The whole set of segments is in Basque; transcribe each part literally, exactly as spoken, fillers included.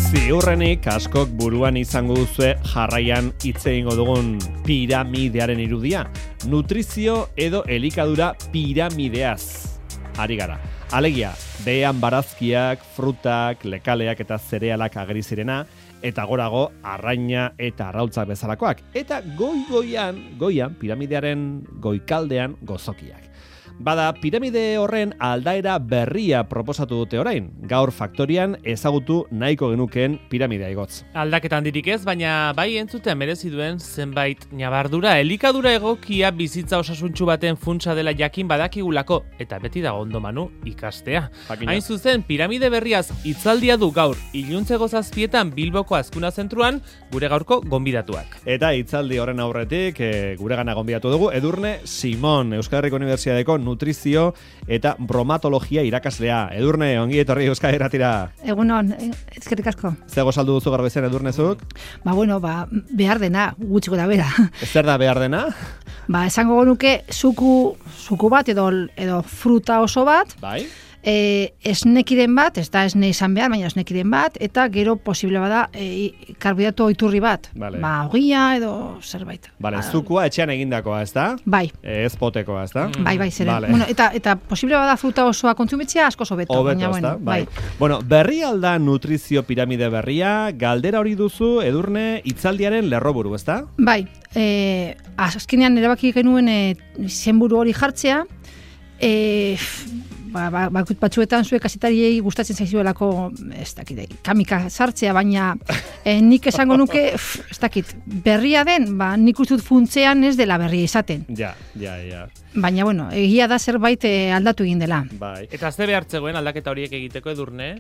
Ziurrenik askok buruan izango duzue jarraian hitz egingo dugun piramidearen irudia. Nutrizio edo elikadura piramideaz ari gara. Alegia, behean barazkiak, frutak, lekaleak eta zerealak ageri zirena, eta gorago arraina eta arrautzak bezalakoak. Eta goi-goian, goian, piramidearen goikaldean gozokiak. Bada, piramide horren aldaera berria proposatu dute orain. Gaur faktorian ezagutu nahiko genukeen piramidea igotz. Aldaketan dirik ez, baina bai entzutea merezi duen zenbait ñabardura. Elikadura egokia bizitza osasuntsu baten funtsa dela jakin badakigulako, eta beti dago ondo manu ikastea. Jakina. Hain zuzen, piramide berriaz hitzaldia du gaur iluntzeko zazpietan Bilboko Azkuna Zentruan gure gaurko gonbidatuak. Eta hitzaldi horren aurretik e, gure gana gonbidatu dugu Edurne Simon, Euskal Herriko Unibertsitateko nutrizio eta bromatologia irakaslea. Edurne, ongi etorri Euskal Herratira. Egunon, ezkerrik asko. Zego saldu duzu gaur bezen Edurnezuk? Ba, bueno, ba, behar dena, gutxiko da bera. Ez zer da behar dena? Ba, esango genuke suku, suku bat edo, edo fruta oso bat. Bai. E, esnekiren bat, ez da esne izan behar, baina esnekiren bat, eta gero posible bada e, karbohidrato iturri bat. Vale. Ba, ogia edo zerbait. Vale, zukua etxean egindakoa, ez da? Bai. Ez potekoa, ez da? Mm. Bai, bai, zeren. Vale. Bueno, eta, eta posible bada fruta osoa kontsumitzea asko sobeto. Obeto, baina, ez da? bueno, Bai. bai. Bueno, berri alda nutrizio piramide berria, galdera hori duzu, Edurne, hitzaldiaren lerroburu, ez da? Bai, e, azkenean erabaki genuen e, izenburu hori jartzea, e, Ba, ba, batzuetan zuek kazetariei gustatzen zaizuelako, ez dakit, kamika sartzea, baina eh, nik esango nuke, f, ez dakit, berria den, ba, nik uste dut funtzean ez dela berria izaten. Ja, ja, ja. Baina, bueno, egia da zerbait eh, aldatu egin dela. Bai. Eta ze behartzegoen aldaketa horiek egiteko Edurne?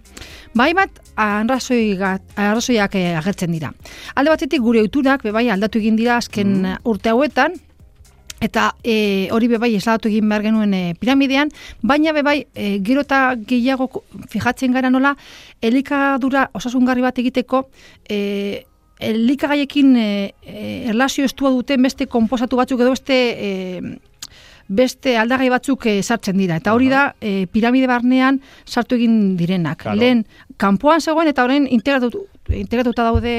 Bai bat, arrazoiak eh, agertzen dira. Alde batetik gure ohiturak bebai aldatu egin dira azken mm. urte hauetan, eta e, hori bebai esladatu egin behar genuen e, piramidean, baina bebai e, gero eta gehiago fijatzen gara nola, elikadura osasungarri bat egiteko, e, elikagaiekin e, e, erlazio estua duten beste konposatu batzuk edo beste... E, beste aldagai batzuk e, sartzen dira. Eta hori da, e, piramide barnean sartu egin direnak. Claro. Lehen, kanpoan zegoen eta orain integratu, integratuta daude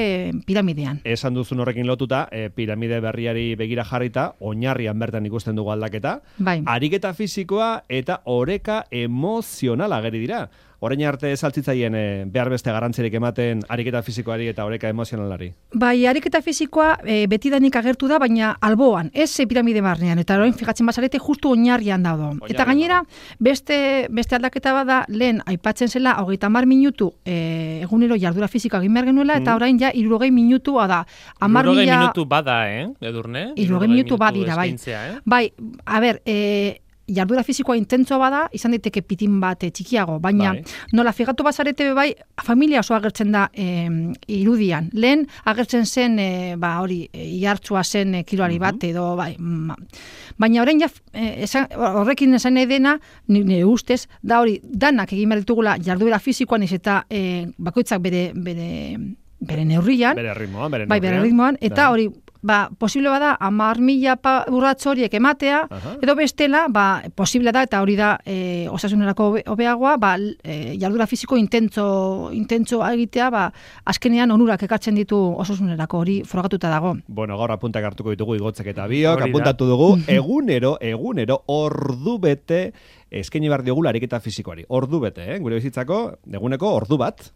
piramidean. Esan duzun horrekin lotuta, e, piramide berriari begira jarrita, oinarrian bertan ikusten dugu aldaketa. Bai. Ariketa fisikoa eta oreka emozionala ageri dira. Orain arte saltzitzaien e, behar beste garrantzirik ematen ariketa fisikoari eta oreka emozionalari. Bai, ariketa fisikoa e, betidanik agertu da, baina alboan, ez e, piramide barnean. Eta orain fijatzen bazarete justu oinarrian daude. Eta gainera, beste, beste aldaketa bada, lehen aipatzen zela, hogeita hamar minutu e, egunero jardura fisikoa egin behar genuela, eta orain ja hirurogei minutua da. Hirurogei minutu bada, eh, Edurne? Hirurogei minutu badira, bai. Eh? Bai, a ber, e, jardura fisikoa intentsoa bada, izan daiteke pitin bat e, txikiago, baina bai. Nola figatu bazarete bai, familia oso agertzen da e, irudian. Lehen agertzen zen, e, ba hori, e, ihartzua zen e, kiloari bat, edo bai, ma. Baina orain ja, e, esan, horrekin esan nahi dena, nire ustez, da hori, danak egin behar ditugula jardura fisikoan, ez eta e, bakoitzak bere, bere, bere neurrian, bere ritmoan, bere bai, bere ritmoan, eta hori, ba, posible bada, hamar mila urratz horiek ematea, aha. Edo bestela, ba, posible da, eta hori da e, osasunerako hobeagoa, ba, e, jardura fisiko intentzo, intentzo egitea, ba, azkenean onurak ekartzen ditu osasunerako hori frogatuta dago. Bueno, gaur apuntak hartuko ditugu igotzek eta biok, apuntatu dugu, egunero, egunero, ordu bete, eskaini behar diogula ariketa fisikoari. Ordu bete, eh? Gure bizitzako, eguneko ordu bat,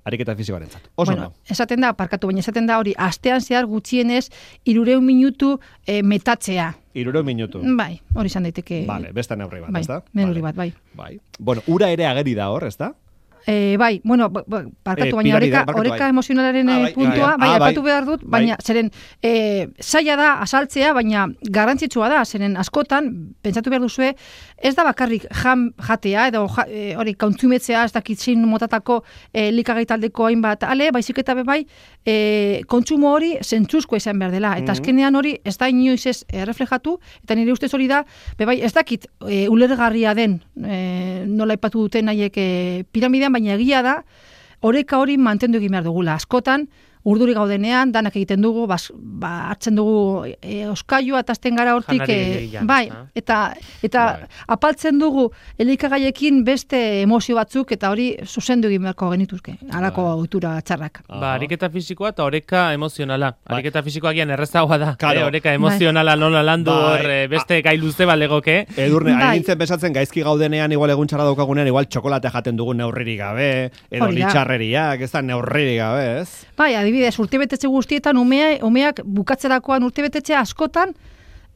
ariketa fisikoaren zat. Oso bueno, esaten da, parkatu, baina esaten da hori, astean zehar gutxienez, irureun minutu e, metatzea. Irureun minutu? Bai, hori izan daiteke. Vale, beste neurri bat, bai, ez da? Neurri vale. bat, bai. Bai. Bueno, ura ere ageri da hor, ez da? E, bai, bueno, parkatu, e, baina oreka, barkatu, oreka bai. emozionalaren ah, bai, puntua, bai, ah, bai, aipatu behar dut, baina, bai. Zeren, e, zaila da asaltzea, baina garrantzitsua da, zeren askotan, pentsatu behar duzue, ez da bakarrik jam jatea, edo ja, e, hori, kontsumetzea, ez dakitzin motatako e, likagai taldeko hainbat, ale, baizik eta bebai, e, kontsumo hori zentzuzko izan behar dela, eta mm-hmm. azkenean hori ez da inoiz ez e, reflejatu, eta nire ustez hori da, bebai, ez dakit e, ulergarria den, e, nola aipatu duten haiek e, piramidean, baina egia da, oreka hori mantendu egin behar dugula. Askotan, urduri gaudenean, danak egiten dugu, bas, ba, hartzen dugu e, oskailua eta azten gara hortik, e, bai, eta, eta bai. Apaltzen dugu elikagaiekin beste emozio batzuk, eta hori zuzendu egin beharko genituzke, halako ohitura txarrak. Ba, ariketa fisikoa eta oreka emozionala. Bai. Ariketa fisikoa gian errezagoa da, claro. eh, oreka emozionala bai. Nola landu hor bai. Beste gai luze balegoke. Edurne, bai. Hain nintzen besatzen gaizki gaudenean, igual egun txarra daukagunean, igual txokolate jaten dugu neurririk gabe, edo litxarreriak, ez da neurririk gabe, ez? Bai, adibidez, urtebetetxe guztietan umea, umeak bukatzerakoan urtebetetxe askotan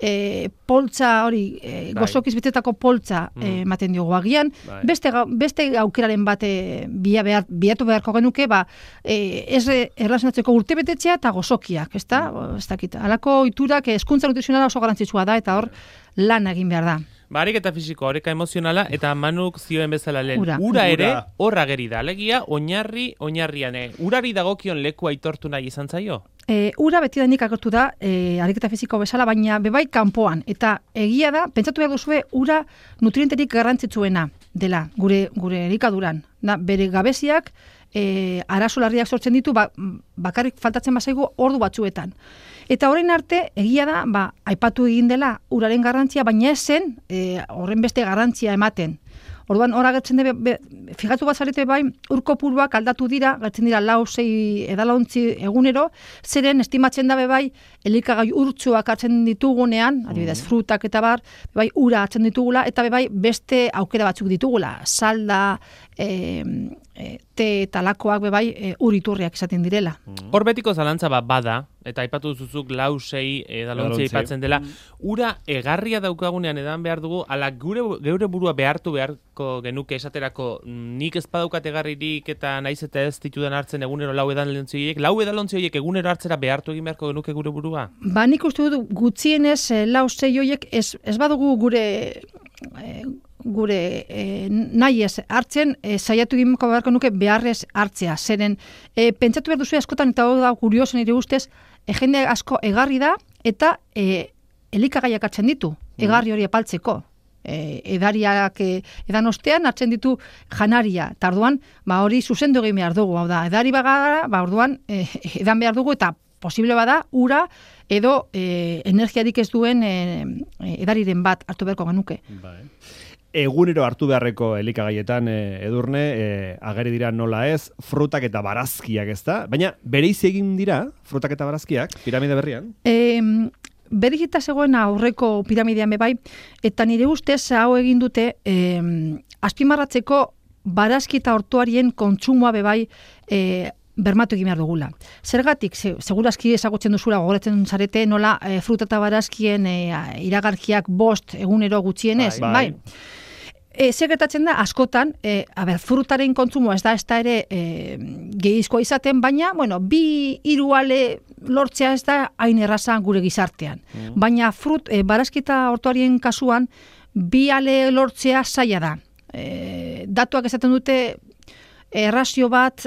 e, poltza hori, e, gozokiz betetako poltza mm. ematen diogu agian, bai. beste, beste aukeraren bate bia behar, biatu beharko genuke, ba, e, ez erlazionatzeko urtebetetxea eta gozokiak, ez da? Mm. Ez dakit, alako iturak eskuntza nutrizionala oso garantzitsua da, eta hor lan egin behar da. Ba, ariketa fisiko, oreka emozionala, eta Manuk zioen bezala lehen. Ura, ura ere, horra geri da. Alegia, oinarri, oinarrian. Urari dagokion leku aitortu nahi izan zaio? E, ura beti da nik agertu da, e, ariketa fisiko bezala, baina bebai kanpoan. Eta egia da, pentsatu behar duzue, ura nutrienterik garrantzitsuena dela, gure, gure elikaduran. Da, bere gabeziak, e, arazo larriak sortzen ditu, ba, bakarrik faltatzen bazaigu ordu batzuetan. Eta horren arte, egia da, ba, aipatu egin dela uraren garrantzia, baina ez zen e, horren beste garrantzia ematen. Orduan, hor agertzen debe, be, fijatu bazarete bai, ur kopuruak aldatu dira, gertzen dira lau, sei edalontzi egunero, zeren estimatzen dabe bai, elikagai urtsuak hartzen ditugunean, adibidez, frutak eta bar, bai, ura hartzen ditugula, eta bai, beste aukera batzuk ditugula, salda, e, e, te eta lakoak bai, e, uriturriak izaten direla. Hor betiko zalantza bat bada, eta aipatu zuzuk lau, sei edalontzi aipatzen dela, ura egarria daukagunean edan behar dugu, ala gure, geure burua behartu beharko genuke esaterako, nik ez badaukat egarririk eta naiz eta ez ditudan hartzen egunero lau edalontzi horiek, lau edalontzi horiek egunero hartzera behartu egin beharko genuke gure burua? Ba, nik uste dut gutxienez lau, sei horiek ez, ez badugu gure... E, gure e, nahi ez hartzen, e, saiatu gimeko beharko nuke beharrez hartzea. Zeren, e, pentsatu behar duzu askotan, eta hori da kurioso nire ustez, e, jende asko egarri da, eta e, elikagaiak hartzen ditu, egarri hori epaltzeko. E, edariak e, edan ostean hartzen ditu janaria, eta orduan, ba, hori zuzendu egin behar dugu. Hau da, edari bagara, ba, orduan, e, edan behar dugu, eta posible bada, ura edo e, energiarik ez duen e, edariren bat hartu beharko genuke. Bai. Egunero hartu beharreko elikagaietan e, edurne, e, ageri dira nola ez, frutak eta barazkiak ez da, baina bereiz egin dira, frutak eta barazkiak, piramide berrian? E, Berikita zegoen aurreko piramidean bebai, eta nire ustez hau egin dute, e, azpimarratzeko barazki eta hortuarien kontsumoa bebai, e, bermatu egin behar dugula. Zergatik, ze, segurazki ezagutzen duzula gogoratzen zarete nola e, fruta eta barazkien e, iragarkiak bost egunero gutxienez, bai. bai. E, Segretatzen da, askotan, e, a ber, frutaren kontsumoa ez da, ez da ere e, gehizkoa izaten, baina, bueno, bi hiru ale lortzea ez da hain erraza gure gizartean. Mm. Baina frut, e, barazki eta hortuarien kasuan, bi ale lortzea zaila da. E, datuak esaten dute, errazio bat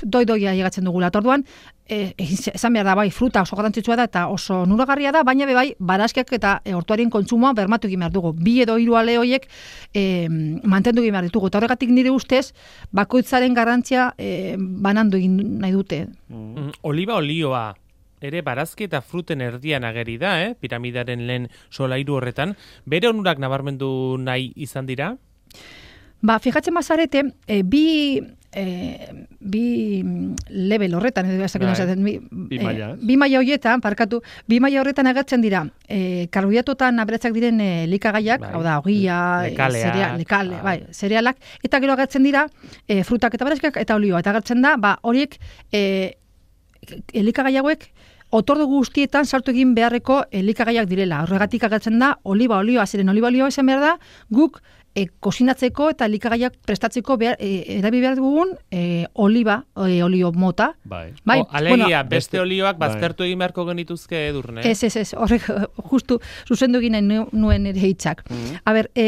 doi-doia llegatzen dugula. Orduan, e, esan behar da, bai, fruta oso garrantzitsua da eta oso nuragarria da, baina bai, barazkiak eta e, hortuarien kontsumoa bermatu egin behar dugu. Bi edo hiru ale horiek e, mantendu egin behar ditugu. Eta horregatik nire ustez, bakoitzaren garrantzia e, banandu egin nahi dute. Mm. Oliba olioa ere barazki eta fruten erdian ageri da, eh? Piramidaren lehen solairu horretan. Bere onurak nabarmendu nahi izan dira? Ba, fijatzen bazarete, e, bi, e, bi level horretan, edo esaten bi, bi maila, e, bi maila horietan, parkatu, bi maila horretan agertzen dira, e, karbohidratotan aberatsak diren e, likagaiak, bai. Hau da, ogia, lekalea, cereal, lekale, bai, zerealak, eta gero agertzen dira, e, frutak eta barazkiak eta olioa, eta agertzen da, ba, horiek, e, elikagai hauek, otordu guztietan sartu egin beharreko elikagaiak direla. Horregatik agertzen da, oliba olioa, zeren oliba olioa esan behar da, guk e, kozinatzeko eta elikagaiak prestatzeko behar, e, erabi behar dugun e, oliba, e, olio mota. Bai. bai o, alegia, bueno, beste olioak baztertu bai. Egin beharko genituzke Edurne. Ez, ez, ez, horrek justu zuzendu egin nuen ere hitzak. Mm-hmm. A ber, e,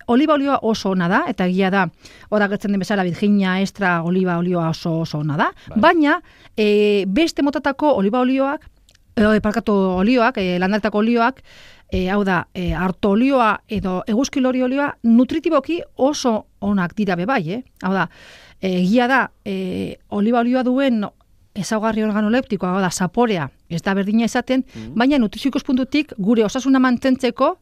oliba olioa oso ona da, eta egia da, hor agertzen den bezala Virginia extra oliba olioa oso oso ona da, bai. Baina e, beste motatako oliba olioak, e, parkatu olioak, e, landaretako olioak, e, hau da, e, arto olioa edo eguzkilori olioa nutritiboki oso onak dira bebai, eh? Hau da, egia da, e, oliba olioa duen ezaugarri organoleptikoa, da zaporea, ez da berdina izaten, mm. baina nutrizio ikuspuntutik gure osasuna mantentzeko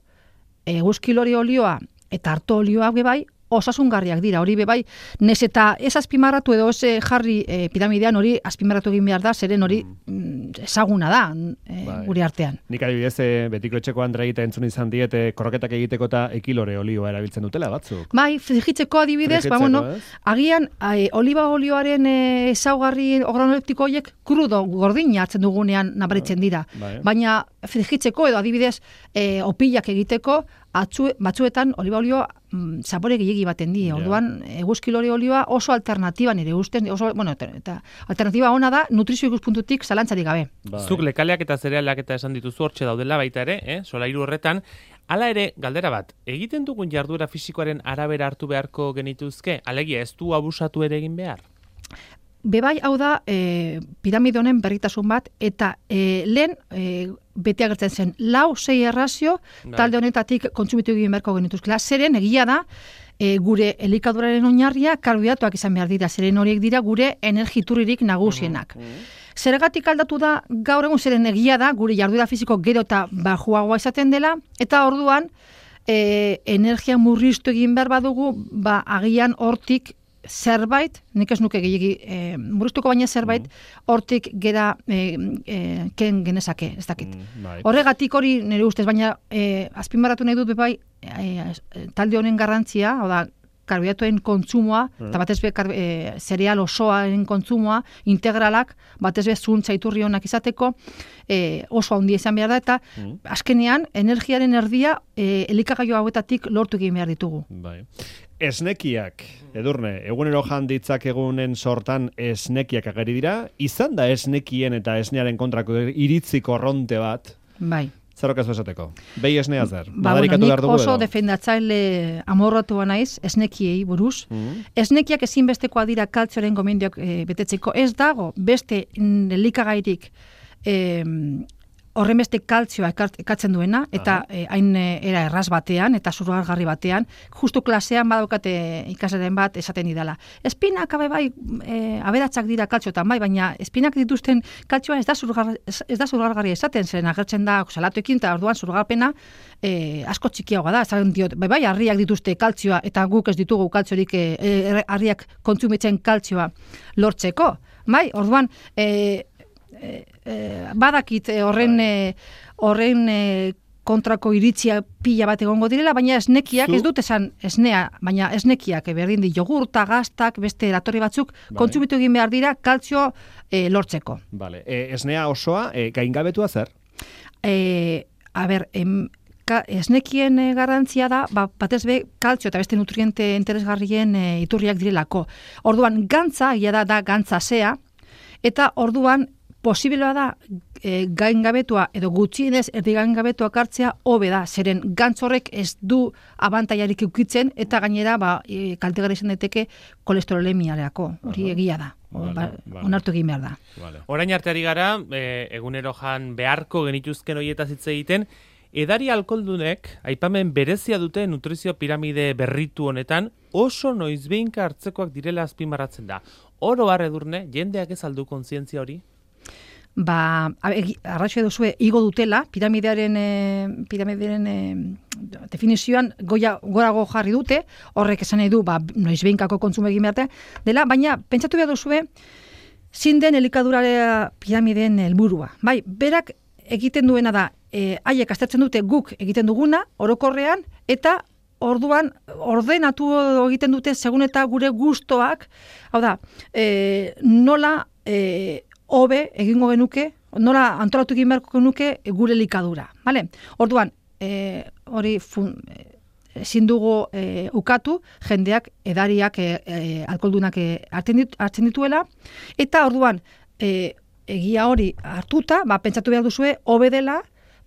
eguzki lore olioa eta arto olioa bai osasungarriak dira. Hori bebai, nez eta ez azpimarratu edo ez jarri e, piramidean hori azpimarratu egin behar da, zeren hori mm. ezaguna da e, gure artean. Nik adibidez, e, betiko etxeko Andrea egite entzun izan diete korroketak egiteko eta ekilore olioa erabiltzen dutela batzuk. Bai, frigitzeko adibidez, ba, bueno, agian e, oliba olioaren ezaugarri e, organoleptiko horiek krudo gordina hartzen dugunean nabaritzen dira. Bai. Baina frigitzeko edo adibidez e, opilak egiteko Atzu, batzuetan oliba olioa mm, zapore gehiegi baten di. Yeah. Orduan eguzki lore olioa oso alternatiba nire ustez, oso, bueno, eta alternatiba ona da nutrizio ikuspuntutik zalantzarik gabe. Bai. Zuk lekaleak eta zerealak eta esan dituzu hortxe daudela baita ere, eh? Solairu horretan, hala ere, galdera bat, egiten dugun jarduera fisikoaren arabera hartu beharko genituzke, alegia ez du abusatu ere egin behar? Bebai, hau da, e, piramide honen berritasun bat, eta e, lehen e, bete agertzen zen, lau sei errazio, talde honetatik kontsumitu egin beharko genituzkela. Zeren, egia da, e, gure elikaduraren oinarria karbohidratoak izan behar dira, zeren horiek dira gure energiturririk nagusienak. Uh-huh. Zergatik aldatu da, gaur egun zeren egia da, gure jarduera fisiko gero eta bajuagoa izaten dela, eta orduan, e, energia murriztu egin behar badugu, ba, agian hortik, zerbait, nik ez nuke gehiagi e, murriztuko baina zerbait, hortik gera e, e, ken genezake, ez dakit. Mm, Horregatik hori nire ustez, baina e, azpimarratu nahi dut bebai e, talde honen garrantzia, hau da, karbohidratoen kontsumoa, mm. eta batez be e, zereal osoaren kontsumoa, integralak, batez be zuntza iturri honak izateko, e, oso handia izan behar da, eta mm. azkenean, energiaren erdia e, elikagaio hauetatik lortu egin behar ditugu. Bai. Esnekiak, Edurne, egunero janditzak egunen sortan esnekiak ageri dira, izan da esnekien eta esnearen kontrako iritzi korronte bat. Bai. Zerok ez esateko? Behi esnea zer? Ba, bueno, nik oso defendatzaile amorratua naiz esnekiei buruz. Mm-hmm. Esnekiak ezinbestekoa dira kaltzioaren gomendioak e, betetzeko. Ez dago beste elikagairik e, horrenbeste kaltzioa ekatzen duena, eta hain e, era erraz batean, eta zurgargarri batean, justu klasean badaukate ikasaren bat esaten didala. Espinak abe bai, e, aberatzak dira kaltziotan bai, baina espinak dituzten kaltzioa ez da zurgargarri, ez da zurgargarri esaten, zen agertzen da salatoekin, eta orduan zurgarpena e, asko txikiagoa da, esaten diot, bai bai, harriak dituzte kaltzioa, eta guk ez ditugu kaltziorik e, e, harriak kontsumitzen kaltzioa lortzeko. Bai, orduan, e, E, e, badakit horren e, horren e, kontrako iritzia pila bat egongo direla, baina esnekiak, Zu? ez dut esan esnea, baina esnekiak, berdin di jogurta, gaztak, beste eratorri batzuk, vale. kontsumitu egin behar dira kaltzio e, lortzeko. Vale. E, esnea osoa, e, gaingabetua zer? E, a ber, em, ka, esnekien e, garrantzia da, ba, batez be, kaltzio eta beste nutriente interesgarrien e, iturriak direlako. Orduan, gantza, ia da, da gantza zea, eta orduan, posiblea da e, gaingabetua edo gutxienez erdi gaingabetua hartzea hobe da, zeren gantz horrek ez du abantailarik ukitzen eta gainera ba, e, kaltegarri izan daiteke kolesterolemiarako, hori egia da, vale, ba, vale. onartu egin behar da. Vale. Orain arteari gara, e, egunero jan beharko genituzken horietaz hitz egiten, edari alkoholdunek aipamen berezia dute nutrizio piramide berritu honetan, oso noizbeinka hartzekoak direla azpimarratzen da. Oro har Edurne, jendeak ez aldu kontzientzia hori? Ba, arrazoia duzue igo dutela, piramidearen, e, piramidearen e, definizioan goia, gorago jarri dute, horrek esan nahi du, ba, noizbeinkako kontsumo egin behar dela, baina pentsatu behar duzue, zin den elikadurarea piramideen helburua. Bai, berak egiten duena da, e, haiek aztertzen dute guk egiten duguna, orokorrean, eta orduan ordenatu egiten dute segun eta gure gustoak, hau da, e, nola e, hobe egingo genuke, nola antolatu egin beharko genuke gure elikadura. Vale? Orduan, e, hori fun, ezin dugu e, ukatu, jendeak edariak e, e, alkoholdunak e, hartzen, dit, hartzen dituela, eta orduan, e, egia hori hartuta, ba, pentsatu behar duzue, hobe dela,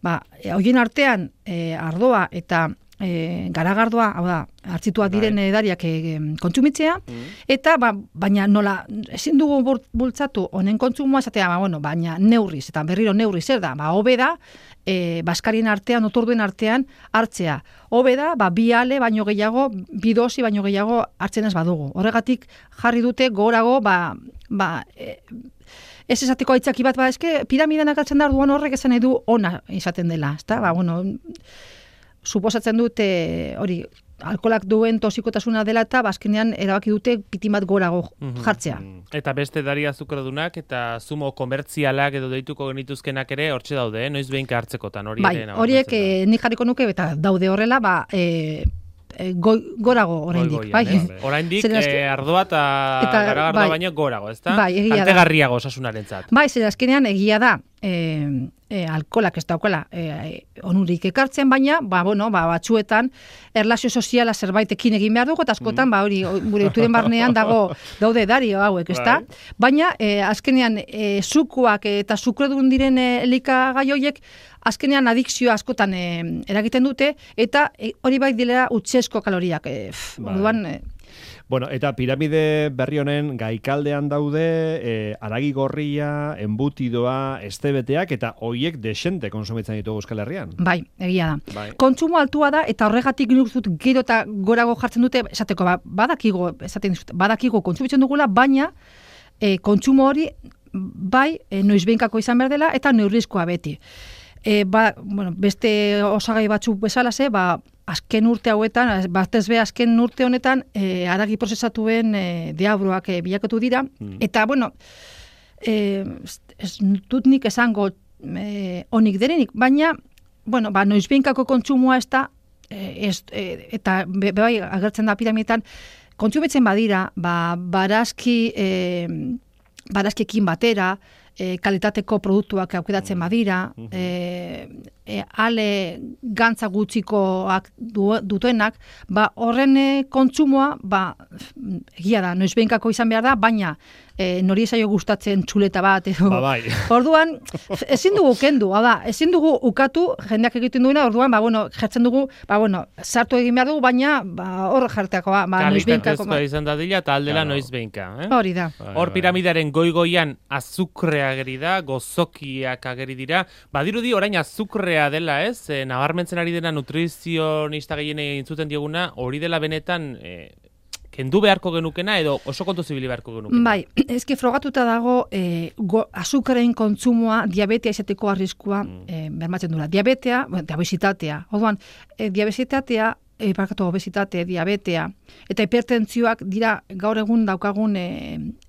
ba, e, horien artean e, ardoa eta e, garagardoa, hau da, hartzituak diren edariak e, kontsumitzea, mm. eta ba, baina nola, ezin dugu bultzatu honen kontsumoa, esatea, ba, bueno, baina neurriz, eta berriro neurriz, zer da, ba, hobe da, e, baskarien artean, otorduen artean, hartzea. Hobe da, ba, bi ale baino gehiago, bi dosi baino gehiago hartzen ez badugu. Horregatik jarri dute gorago, ba, ba, e, ez esateko aitzaki bat, ba, eske piramidean akaltzen da orduan horrek esan edu ona izaten dela, ezta? Ba, bueno, suposatzen dute hori, alkolak duen tosikotasuna dela eta bazkenean erabaki dute pitin bat gorago jartzea. Eta beste edari azukradunak eta zumo komertzialak edo deituko genituzkenak ere hortxe daude, eh? Noiz behinka hartzekotan hori bai, ere. Horiek eh, nik jarriko nuke eta daude horrela, ba, eh, Go, gorago oraindik, bai. Oraindik eh, ardoa eta garagardoa bai, baino gorago, ezta? Bai, egia da. Kaltegarriago osasunarentzat. Bai, zer azkenean egia da. Eh, eh, alkolak ez daukala eh, onurik ekartzen, baina ba, bueno, ba, batzuetan erlazio soziala zerbaitekin egin behar dugu, eta askotan, mm. ba, hori, gure oituren barnean dago daude dario hauek, ezta? Bai. Baina, eh, azkenean, eh, zukuak eta zukredun diren eh, elikagai horiek, azkenean adikzioa askotan eh, eragiten dute, eta eh, hori bai dilera utzesko kaloriak. Eh, bai. Orduan, eh, Bueno, eta piramide berri honen gaikaldean daude e, aragi gorria, embutidoa, estebeteak eta hoiek desente konsumitzen ditugu Euskal Herrian. Bai, egia da. Bai. Kontsumo altua da eta horregatik nik dut gero eta gorago jartzen dute, esateko ba, badakigo, esaten dizut, badakigo kontsumitzen dugula, baina e, kontsumo hori bai e, noizbehinkako izan behar dela eta neurrizkoa beti. E, ba, bueno, beste osagai batzuk bezalase, ba, azken urte hauetan, batez be azken urte honetan, e, aragi prozesatuen e, deabroak e, bilakatu dira, mm. eta, bueno, e, ez dut nik esango e, onik derenik, baina, bueno, ba, noizbeinkako kontsumoa ez da, e, ez, e, eta be, bai agertzen da piramidetan, kontsumitzen badira, ba, barazki, e, barazkiekin batera, E, kalitateko produktuak aukeratzen badira, e, e, ale gantza gutxikoak du, dutenak, ba, horren kontsumoa, ba, egia da, noizbeinkako izan behar da, baina e, nori esaio gustatzen txuleta bat, edo. Ba, bai. Orduan, ezin dugu kendu, hau da, ezin dugu ukatu, jendeak egiten duena, orduan, ba, bueno, jartzen dugu, ba, bueno, sartu egin behar dugu, baina, ba, hor jarteako, ba, ba noizbeinkako. Kalitatezkoa izan dadila, eta aldela claro. Noizbeinka, eh? Hori da. Hor piramidaren goi-goian azukrea ageri da, gozokiak ageri dira. Badirudi orain azukrea dela, ez? E, nabarmentzen ari dena nutrizionista gehienei entzuten dioguna, hori dela benetan e, kendu beharko genukena edo oso kontu zibili beharko genukena. Bai, eske frogatuta dago e, go, azukaren kontsumoa diabetea izateko arriskua mm. e, bermatzen dula. Diabetea, bueno, obesitatea. Orduan, e, diabesitatea E, parkatu obesitate, diabetea, eta hipertentzioak dira gaur egun daukagun e,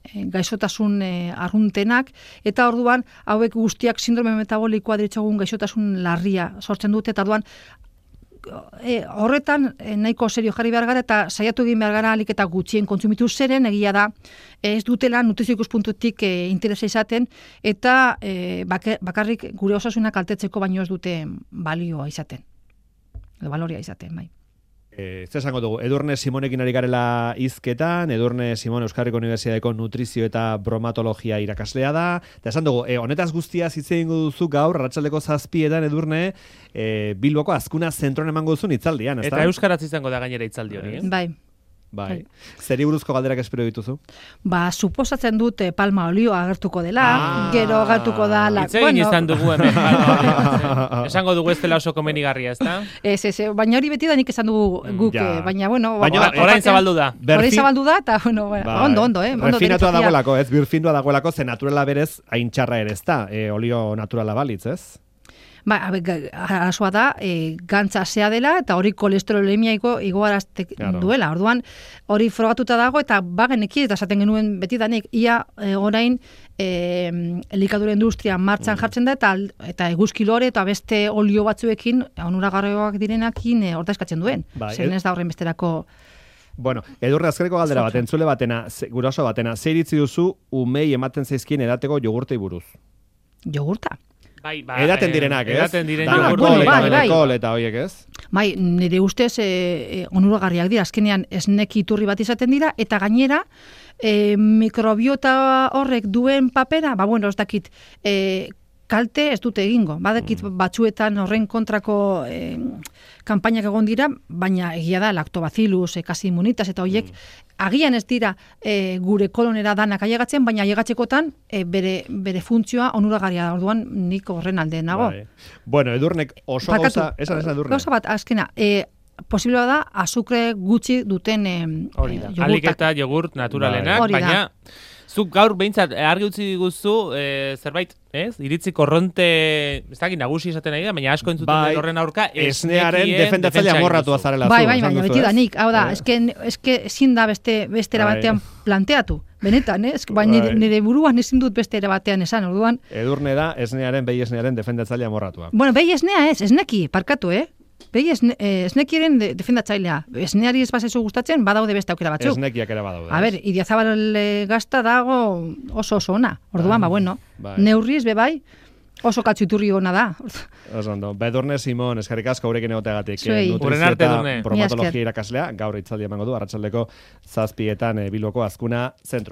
e, gaixotasun e, arruntenak, eta orduan hauek guztiak sindrome metabolikoa diritzagun gaixotasun larria sortzen dute, eta orduan e, horretan e, nahiko serio jarri behar gara, eta saiatu egin behar gara alik eta gutxien kontsumitu zeren, egia da, ez dutela nutrizio ikuspuntutik e, interesa izaten, eta e, bakarrik gure osasunak kaltetzeko baino ez dute balioa izaten, edo baloria izaten, bai. Ez esango dugu, Edurne Simonekin ari garela hizketan, Edurne Simon Euskal Herriko Unibertsitateko nutrizio eta bromatologia irakaslea da, eta esan dugu, e, honetaz guztia hitz egingo duzu gaur, arratsaldeko zazpietan Edurne, e, Bilboko Azkuna zentroan emango duzun hitzaldian, ezta? Eta euskaraz izango da gainera hitzaldi hori, eh? Bai. Bai. Zeri buruzko galderak espero dituzu? Ba, suposatzen dut palma olioa agertuko dela, ah, gero agertuko da... La... Itzegin bueno. Izan dugu hemen palma olioa. Esango dugu ez dela oso komenigarria, ez da? Ez, ez, baina hori beti da nik esan dugu guk, ja. baina, bueno... Baina, ba, orain zabaldu da. Orain zabaldu da, eta, bueno, bueno ba, ondo, ondo, eh? Refinatua dagoelako, ez, birfindua dagoelako, ze naturala berez, hain txarra ere ez da, e, olio naturala balitz, ez? Ba, arazoa da, e, gantza zea dela, eta hori kolesterolemia igo, igoarazte claro. duela. Orduan, hori frogatuta dago, eta bageneki, eta esaten genuen beti danik, ia e, orain e, elikadura industria martxan mm. jartzen da, eta, eta eguzkilore, eta beste olio batzuekin, onuragarrioak direnakin, e, ordezkatzen duen. Ba, Zer ez da horren besterako... Bueno, Edurne, azkareko galdera bat, entzule batena, guraso batena, zer iritzi duzu umei ematen zaizkien edateko jogurtei buruz? Jogurta? Bai, ba, edaten direnak, ez? Edaten diren ah, jogurta. Bueno, bai, bai, bai. Eta hoiek, ez? Bai, nire ustez e, e, onuragarriak dira, azkenean esneki iturri bat izaten dira, eta gainera, e, mikrobiota horrek duen papera, ba, bueno, ez dakit, e, kalte ez dute egingo. Badekit mm. batzuetan horren kontrako eh, kanpainak egon dira, baina egia da lactobacillus, eh, kasi immunitas eta horiek mm. agian ez dira eh, gure kolonera danak ailegatzen, baina ailegatzekotan eh, bere, bere funtzioa onuragarria da. Orduan nik horren alde nago. Bai. Bueno, Edurnek oso Barkatu, gauza, esan esan Edurne. Gauza bat, azkena, eh, posible da azukre gutxi duten eh, hori da. Alik eta jogurt naturalenak, bai. baina zuk gaur behintzat argi utzi diguzu e, zerbait, ez? Iritzi korronte, ez dakit nagusi esaten nahi da, baina asko entzuten bai, horren aurka esnearen defendatzaile amorratua zarela zu. Bai, bai, baina beti da nik, hau da, eh? eske, eske ezin da beste, bestera bai. batean planteatu. Benetan, eh? Baina nire, nire buruan ezin dut beste ere batean esan, orduan. Edurne da esnearen, behi esnearen defendatzaile amorratua. Bueno, behi esnea ez, esneki, parkatu, eh? Behi esne, eh, esnekiren de, defendatzailea. Esneari ez bazezu gustatzen, badaude beste aukera batzuk. Esnekiak ere badaude. A ber, Idiazabal gazta dago oso oso ona. Orduan, ba, bueno, bai. Neurriz, bebai, oso katxuturri ona da. Oso ondo. Bedurne Simon, eskerrik asko gurekin egoteagatik. Uren arte, Edurne. Bromatologia irakaslea, gaur itzaldi emango du, arratsaldeko zazpietan e, Bilboko Azkuna zentroan.